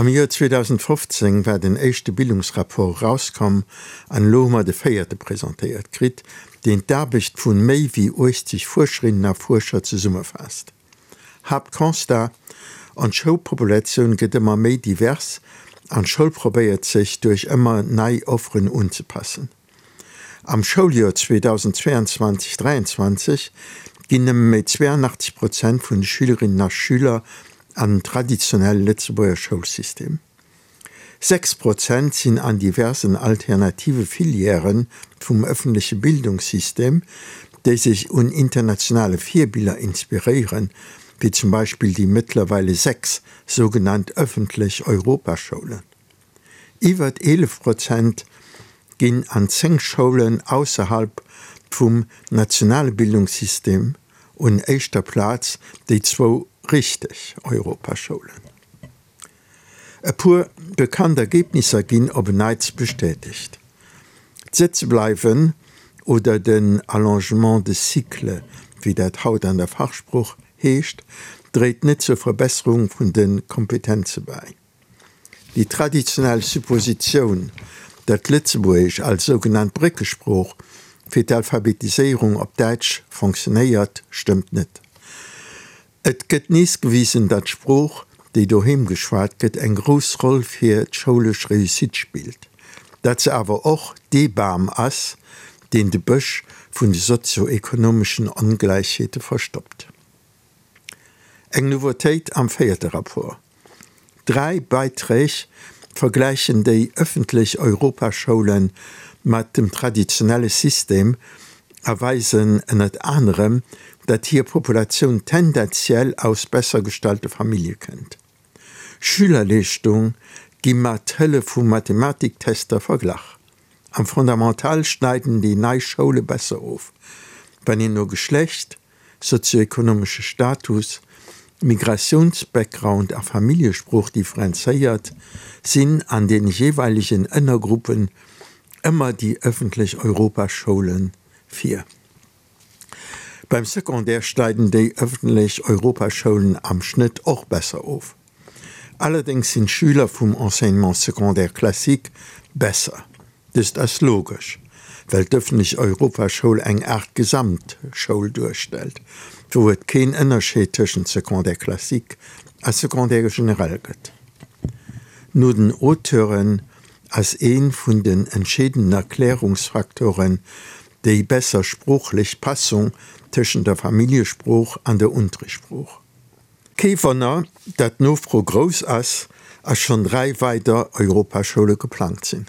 Am Joer 2015 war den éischte Bildungsrapport erauskomm an elo hu mer de véierte presentéiert kritt, deen d'Aarbecht vu méi wéi 80 Fuerscherinnen a Fuerscher zesummefaasst. Haaptconstat, Ons Schoulpopulatioun gëtt ëmmer méi divers an d'Schoul probéiert sech duerch ëmmer nei Offeren unzepassen. Am Schouljoer 2022, 23 ginn nëmme méi 82 Prozent vun de Schülerinnen a Schüler an den traditionelle Lëtzebuerger Schoulsystem. 6 Prozent sinn an diversen alternative Filièrë vum ëffentleche Bildungssystem, déi sech un internationale Virbiller inspiréieren, wéi zum Beispill déi mëttlerweile 6 sougenannt ëffentlech Europaschoulen. Iwwert 11 Prozent ginn an 10 Schoulen ausserhalb vum nationale Bildungssystem, un éischter Plaz déi zwou richteg Europaschoulen. E puer bekannt Ergebnisser ginn op en Neits bestätegt. D'Sëtzebleiwen oder den Allongement de cycle, wéi dat haut an der Fachsprooch heescht, dréit net zur Verbesserung vun de Kompetenze bäi. Déi traditionell Suppositioun, datt Lëtzebuergesch als sougenannt Bréckesprooch fir d'Alphabetiséierung op Däitsch fonctionéiert, stëmmt net. Et gëtt nees gewisen, datt d'Sprooch, déi doheem geschwat gëtt, eng grouss Roll fir d'schoulesch Réussite spillt, datt se awer och dee Bam ass, deen de Bësch vun de sozio-ekonomeschen Ongläichheete verstoppt. Eng Nouveautéit am véierte Rapport, Dräi Beiträg vergläichen déi ëffentlech Europaschoule mat dem traditionelle System a weisen ënnert anerem, datt hir Populatioun tendenziell aus besser gestallte Famillje kënnt. Schülerleeschtung gi mat Hëllef vu Mathematiktester verglach. Am Fondamental schneiden déi nei Schoule besser of, wann een no Geschlecht, sozioekonomesche Status, Migratiounsbackground a Familljesprooch differenzéiert, sinn an de jeeweilegen Ënnergruppen ëmmer déi ëffentlech Europaschoule vir. Beim Secondaire schneiden déi ëffentlech Europaschoulen am Schnëtt och besser of. Allerdéngs sinn d'Schüler vum Enseignement secondaire classique besser. Dëst ass logesch, well d'ëffentlech Europaschoul eng Aart Gesamtschoul duerstellt, wou et keen Ënnerscheed tëschent Secondaire classique a Secondaire général gëtt. No den Auteuren ass ee vun den entscheedenden Erklärungsfaktoren déi besser sproochlech Passung tëschent der Familljesprooch an der Unterrichtssprooch. Kee Wonner, datt d'Nofro grouss ass a schonn 3 weider Europaschoule geplangt sinn.